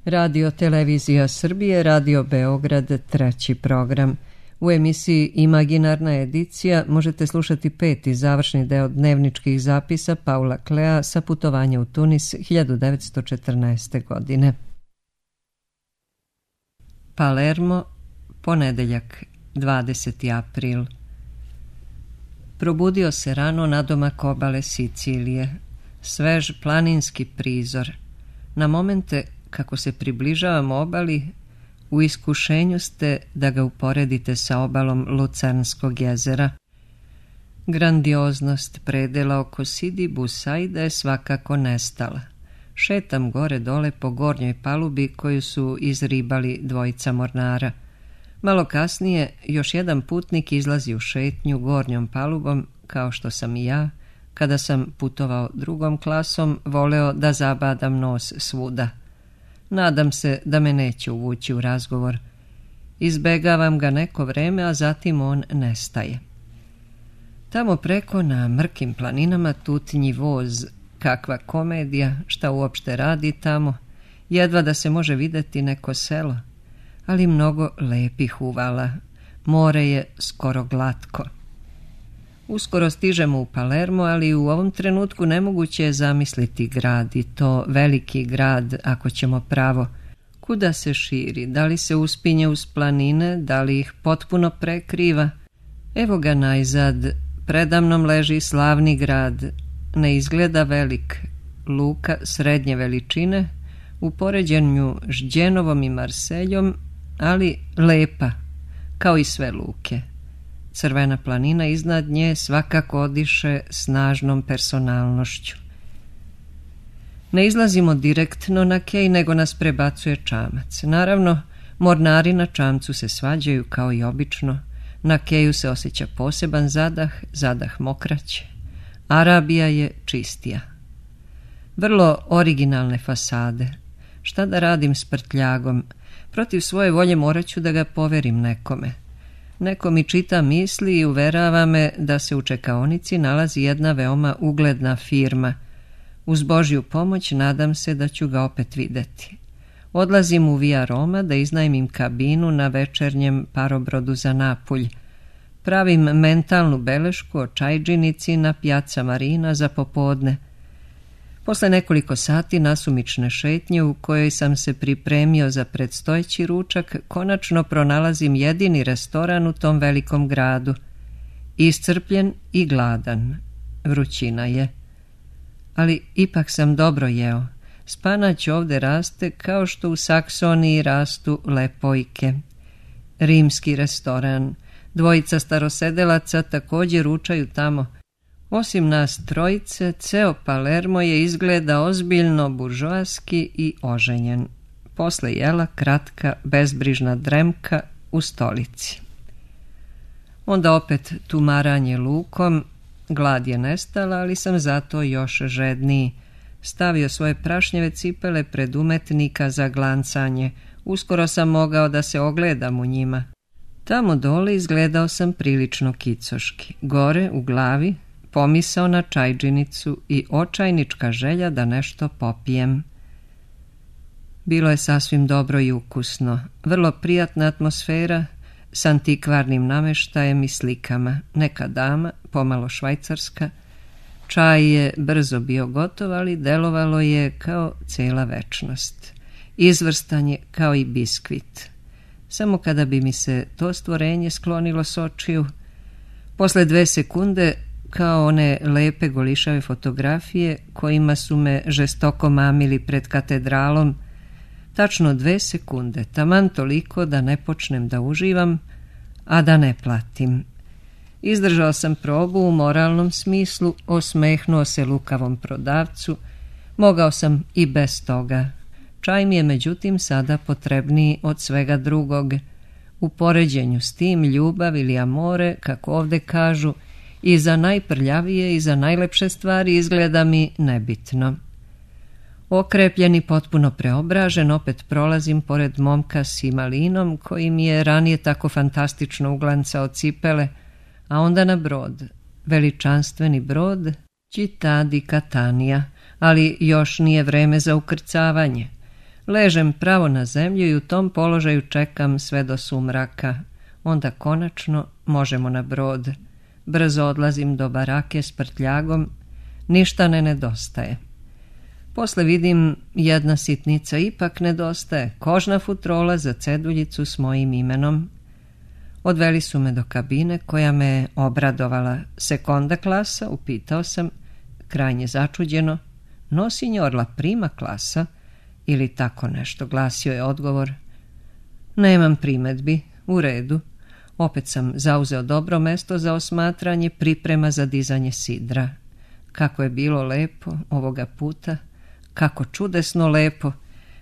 Radio Televizija Srbije, Radio Beograd, treći program. U emisiji Imaginarna edicija možete slušati peti završni deo dnevničkih zapisa Paula Klea sa putovanja u Tunis 1914. godine. Palermo, ponedeljak, 20. april. Probudio se rano nadomak obale Sicilije. Svež planinski prizor. Na momente kako se približavamo obali, u iskušenju ste da ga uporedite sa obalom Lucernskog jezera. Grandioznost predela oko Sidi Busaida je svakako nestala. Šetam gore dole po gornjoj palubi koju su izribali dvojica mornara. Malo kasnije još jedan putnik izlazi u šetnju gornjom palubom, kao što sam i ja, kada sam putovao drugom klasom, voleo da zabadam nos svuda. Nadam se da me neće uvući u razgovor. Izbegavam ga neko vreme, a zatim on nestaje. Tamo preko na mrkim planinama tutnji voz. Kakva komedija, šta uopšte radi tamo. Jedva da se može videti neko selo, ali mnogo lepih uvala. More je skoro glatko. Uskoro stižemo u Palermo, ali u ovom trenutku nemoguće je zamisliti grad, i to veliki grad, ako ćemo pravo. Kuda se širi, da li se uspinje uz planine, da li ih potpuno prekriva? Evo ga najzad, predamnom leži slavni grad, ne izgleda velik, luka srednje veličine, u poređenju s Đenovom i Marseljom, ali lepa, kao i sve luke. Crvena planina iznad nje svakako odiše snažnom personalnošću. Ne izlazimo direktno na kej, nego nas prebacuje čamac. Naravno, mornari na čamcu se svađaju kao i obično. Na keju se osjeća poseban zadah mokraće. Arabija je čistija. Vrlo originalne fasade. Šta da radim s prtljagom? Protiv svoje volje morat ću da ga poverim nekome. Neko mi čita misli i uverava me da se u čekaonici nalazi jedna veoma ugledna firma. Uz Božju pomoć nadam se da ću ga opet videti. Odlazim u Via Roma da iznajmim kabinu na večernjem parobrodu za Napulj. Pravim mentalnu belešku o čajđinici na Piazza Marina za popodne. Posle nekoliko sati nasumične šetnje u kojoj sam se pripremio za predstojeći ručak, konačno pronalazim jedini restoran u tom velikom gradu. Iscrpljen i gladan. Vrućina je. Ali ipak sam dobro jeo. Spanać ovde raste kao što u Saksoniji rastu lepojke. Rimski restoran. Dvojica starosedelaca također ručaju tamo. Osim nas trojice, ceo Palermo je izgleda ozbiljno buržoaski i oženjen. Posle jela kratka, bezbrižna dremka u stolici. Onda opet tumaranje lukom. Glad je nestala, ali sam zato još žedniji. Stavio svoje prašnjeve cipele pred umetnika za glancanje. Uskoro sam mogao da se ogledam u njima. Tamo dole izgledao sam prilično kicoški. Gore, u glavi, pomisao na čajđinicu i očajnička želja da nešto popijem. Bilo je sasvim dobro i ukusno. Vrlo prijatna atmosfera s antikvarnim nameštajem i slikama. Neka dama, pomalo švajcarska. Čaj je brzo bio gotov, ali delovalo je kao cela večnost. Izvrstan je kao i biskvit. Samo kada bi mi se to stvorenje sklonilo s očiju, posle 2 sekunde, kao one lepe golišave fotografije kojima su me žestoko mamili pred katedralom, tačno 2 sekunde, taman toliko da ne počnem da uživam, a da ne platim. Izdržao sam probu u moralnom smislu, osmehnuo se lukavom prodavcu, mogao sam i bez toga. Čaj mi je međutim sada potrebniji od svega drugog. U poređenju s tim ljubav ili amore, kako ovde kažu, i za najprljavije i za najlepše stvari izgleda mi nebitno. Okrepljen i potpuno preobražen, opet prolazim pored momka s imalinom koji mi je ranije tako fantastično uglancao cipele, a onda na brod, veličanstveni brod Città di Catania, ali još nije vreme za ukrcavanje. Ležem pravo na zemlju i u tom položaju čekam sve do sumraka. Onda konačno možemo na brod. Brzo odlazim do barake s prtljagom. Ništa ne nedostaje. Posle vidim jedna sitnica ipak nedostaje. Kožna futrola za ceduljicu s mojim imenom. Odveli su me do kabine koja me obradovala. Sekonda klasa, upitao sam, krajnje začuđeno. No, signor, la prima klasa, ili tako nešto, glasio je odgovor. Nemam primedbi, u redu. Opet sam zauzeo dobro mesto za osmatranje, priprema za dizanje sidra. Kako je bilo lepo ovoga puta, kako čudesno lepo.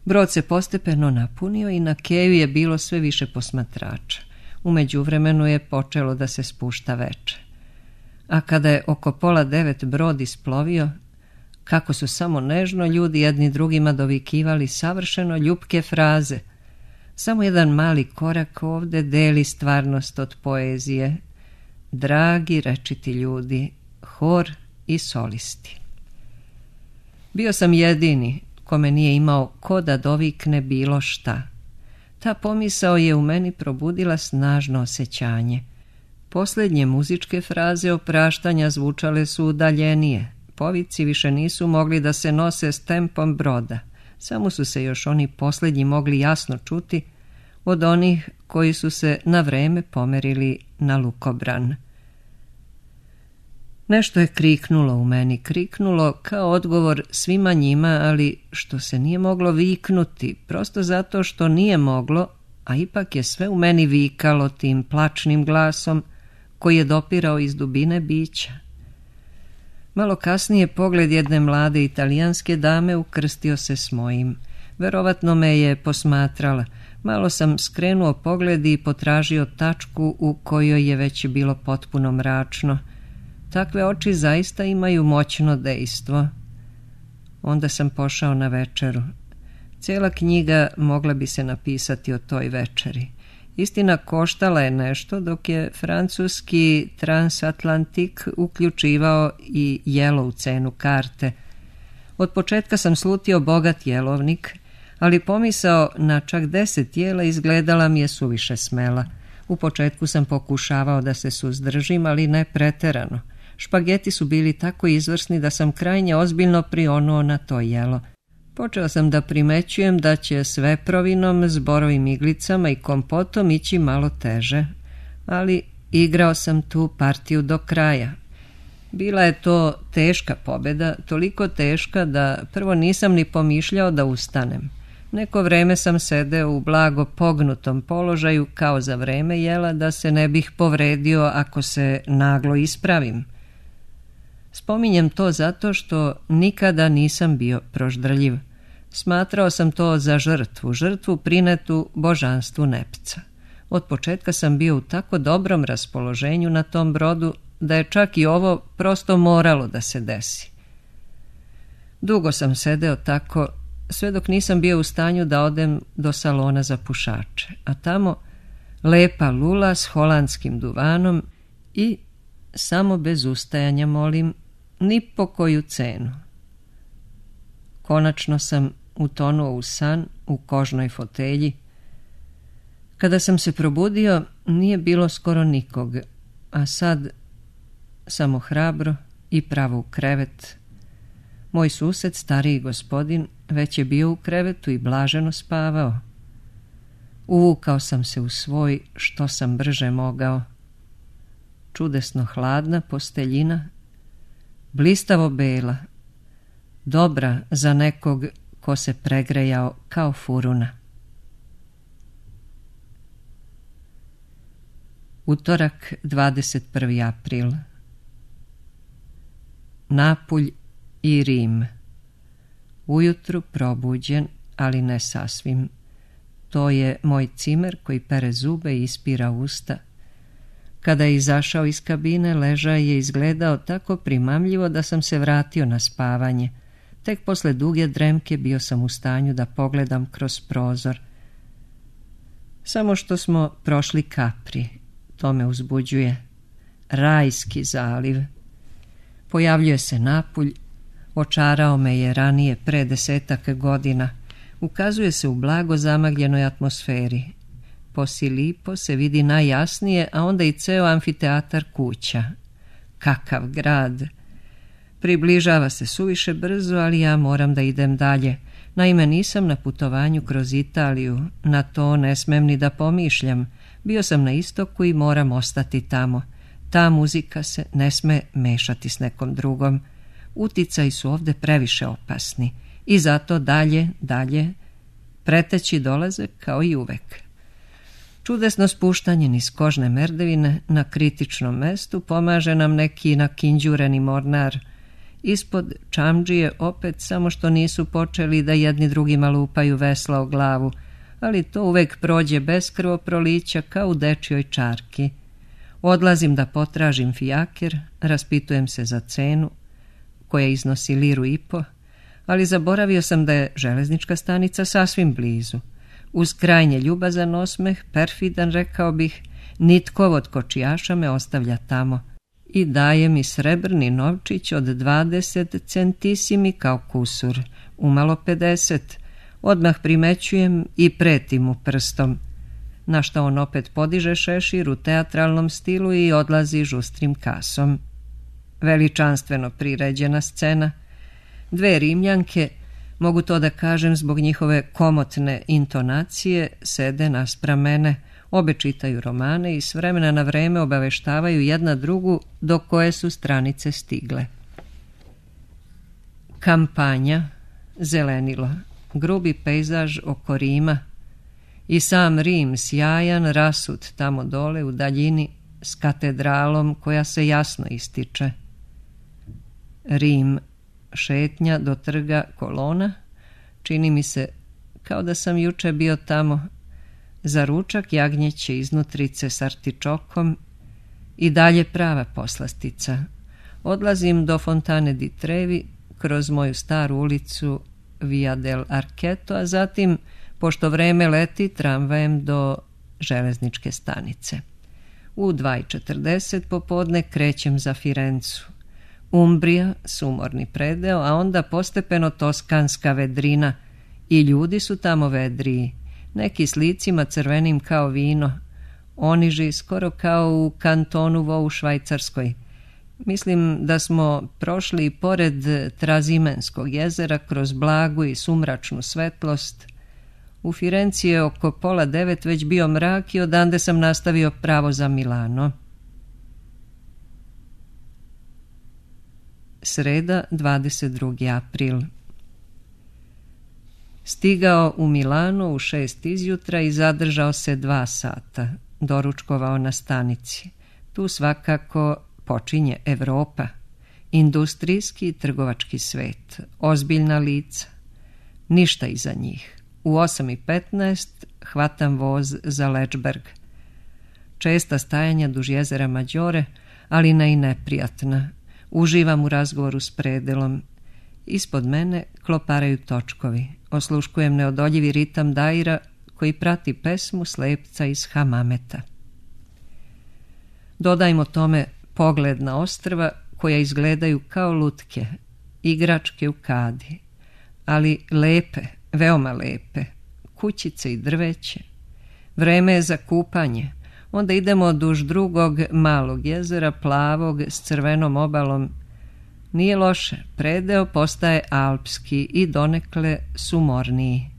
Brod se postepeno napunio i na keju je bilo sve više posmatrača. U međuvremenu je počelo da se spušta veče. A kada je oko 8:30 brod isplovio, kako su samo nežno ljudi jedni drugima dovikivali savršeno ljubke fraze. Samo jedan mali korak ovde deli stvarnost od poezije. Dragi rečiti ljudi, hor i solisti. Bio sam jedini kome nije imao ko da dovikne bilo šta. Ta pomisao je u meni probudila snažno osjećanje. Posljednje muzičke fraze opraštanja zvučale su udaljenije. Povici više nisu mogli da se nose s tempom broda. Samo su se još oni posljednji mogli jasno čuti od onih koji su se na vreme pomerili na lukobran. Nešto je kriknulo u meni, kriknulo kao odgovor svima njima, ali što se nije moglo viknuti, prosto zato što nije moglo, a ipak je sve u meni vikalo tim plačnim glasom koji je dopirao iz dubine bića. Malo kasnije pogled jedne mlade italijanske dame ukrstio se s mojim. Verovatno me je posmatrala. Malo sam skrenuo pogled i potražio tačku u kojoj je već bilo potpuno mračno. Takve oči zaista imaju moćno dejstvo. Onda sam pošao na večeru. Cijela knjiga mogla bi se napisati o toj večeri. Istina, koštala je nešto, dok je francuski transatlantik uključivao i jelo u cenu karte. Od početka sam slutio bogat jelovnik, ali pomisao na čak 10 jela izgledala mi je suviše smela. U početku sam pokušavao da se suzdržim, ali ne preterano. Špageti su bili tako izvrsni da sam krajnje ozbiljno prionuo na to jelo. Počeo sam da primećujem da će s veprovinom, zborovim iglicama i kompotom ići malo teže, ali igrao sam tu partiju do kraja. Bila je to teška pobjeda, toliko teška da prvo nisam ni pomišljao da ustanem. Neko vreme sam sedeo u blago pognutom položaju kao za vreme jela da se ne bih povredio ako se naglo ispravim. Spominjem to zato što nikada nisam bio proždrljiv. Smatrao sam to za žrtvu prinetu božanstvu Nepca. Od početka sam bio u tako dobrom raspoloženju na tom brodu da je čak i ovo prosto moralo da se desi. Dugo sam sedeo tako, sve dok nisam bio u stanju da odem do salona za pušače, a tamo lepa lula s holandskim duvanom i, samo bez ustajanja molim, ni po koju cenu. Konačno sam utonuo u san u kožnoj fotelji. Kada sam se probudio, nije bilo skoro nikog, a sad samo hrabro i pravo u krevet. Moj sused, stariji gospodin, već je bio u krevetu i blaženo spavao. Uvukao sam se u svoj što sam brže mogao. Čudesno hladna posteljina, blistavo bela, dobra za nekog ko se pregrejao kao furuna. Utorak, 21. april. Napulj i Rim. Ujutru probuđen, ali ne sasvim. To je moj cimer koji pere zube i ispira usta. Kada je izašao iz kabine, ležaj je izgledao tako primamljivo da sam se vratio na spavanje. Tek posle duge dremke bio sam u stanju da pogledam kroz prozor. Samo što smo prošli Capri, to me uzbuđuje. Rajski zaliv. Pojavljuje se Napulj, očarao me je ranije pre 10 godina. Ukazuje se u blago zamagljenoj atmosferi. Posilipo se vidi najjasnije, a onda i ceo amfiteatar kuća. Kakav grad! Približava se suviše brzo, ali ja moram da idem dalje. Naime, nisam na putovanju kroz Italiju, na to ne smem ni da pomišljam. Bio sam na istoku i moram ostati tamo. Ta muzika se ne sme mešati s nekom drugom. Uticaji su ovde previše opasni i zato dalje, preteći dolaze kao i uvek. Čudesno spuštanje niz kožne merdevine na kritičnom mestu pomaže nam neki nakinđureni mornar. Ispod čamdžije opet, samo što nisu počeli da jedni drugima lupaju vesla o glavu, ali to uvek prođe bez krvoprolića kao u dečjoj čarki. Odlazim da potražim fijaker, raspitujem se za cenu, koja iznosi 1,5 liru, ali zaboravio sam da je železnička stanica sasvim blizu. Uz krajnje ljubazan osmeh, perfidan rekao bih, nitkov od kočijaša me ostavlja tamo i daje mi srebrni novčić od 20 centisimi kao kusur, umalo 50. Odmah primećujem i pretim mu prstom, na što on opet podiže šešir u teatralnom stilu i odlazi žustrim kasom. Veličanstveno priređena scena. 2 Rimljanke, mogu to da kažem zbog njihove komotne intonacije, sede naspram mene, obe čitaju romane i s vremena na vreme obaveštavaju jedna drugu do koje su stranice stigle. Kampanja, zelenilo, grubi pejzaž oko Rima i sam Rim sjajan, rasut tamo dole u daljini s katedralom koja se jasno ističe. Rim, šetnja do trga Kolona, čini mi se kao da sam juče bio tamo, za ručak jagnjeće iznutrice s artičokom i dalje prava poslastica. Odlazim do Fontane di Trevi kroz moju staru ulicu Via del Archeto, a zatim, pošto vreme leti, tramvajem do železničke stanice. U 2:40 popodne krećem za Firencu. Umbrija, sumorni predeo, a onda postepeno toskanska vedrina i ljudi su tamo vedriji, neki s licima crvenim kao vino, oniži skoro kao u kantonu Vo u Švajcarskoj. Mislim da smo prošli i pored Trazimenskog jezera kroz blagu i sumračnu svetlost. U Firenci je oko 8:30 već bio mrak i odande sam nastavio pravo za Milano. Sreda, 22. april. Stigao u Milano u 6 izjutra i zadržao se 2 sata. Doručkovao na stanici. Tu svakako počinje Evropa. Industrijski i trgovački svet. Ozbiljna lica. Ništa iza njih. U 8:15 hvatam voz za Lečberg. Česta stajanja duž jezera Mađore, ali ne i neprijatna. Uživam u razgovoru s predelom. Ispod mene kloparaju točkovi. Osluškujem neodoljivi ritam daira koji prati pesmu slepca iz Hamameta. Dodajmo tome pogled na ostrva koja izgledaju kao lutke, igračke u kadi, ali lepe, veoma lepe, kućice i drveće. Vreme je za kupanje. Onda idemo duž drugog malog jezera, plavog, s crvenom obalom. Nije loše, predeo postaje alpski i donekle sumorniji.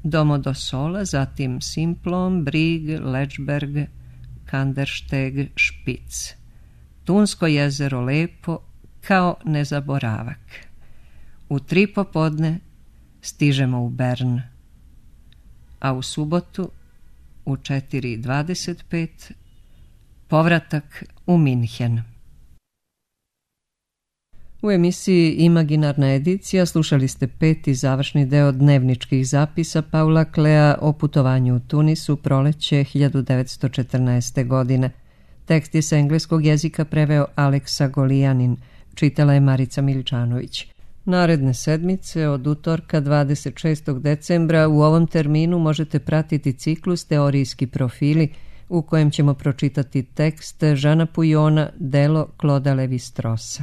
Domodossola, zatim Simplon, Brig, Lečberg, Kandersteg, Špic. Tunsko jezero lepo kao nezaboravak. U 3 popodne stižemo u Bern, a u subotu u 4:25 povratak u Minhen. U emisiji Imaginarna edicija slušali ste 5. završni deo dnevničkih zapisa Paula Klea o putovanju u Tunisu proleće 1914. godine. Tekst je sa engleskog jezika preveo Aleksa Golijanin, čitala je Marica Miličanović. Naredne sedmice od utorka 26. decembra u ovom terminu možete pratiti ciklus Teorijski profili u kojem ćemo pročitati tekst Žana Pujona, delo Kloda Levi-Strosa.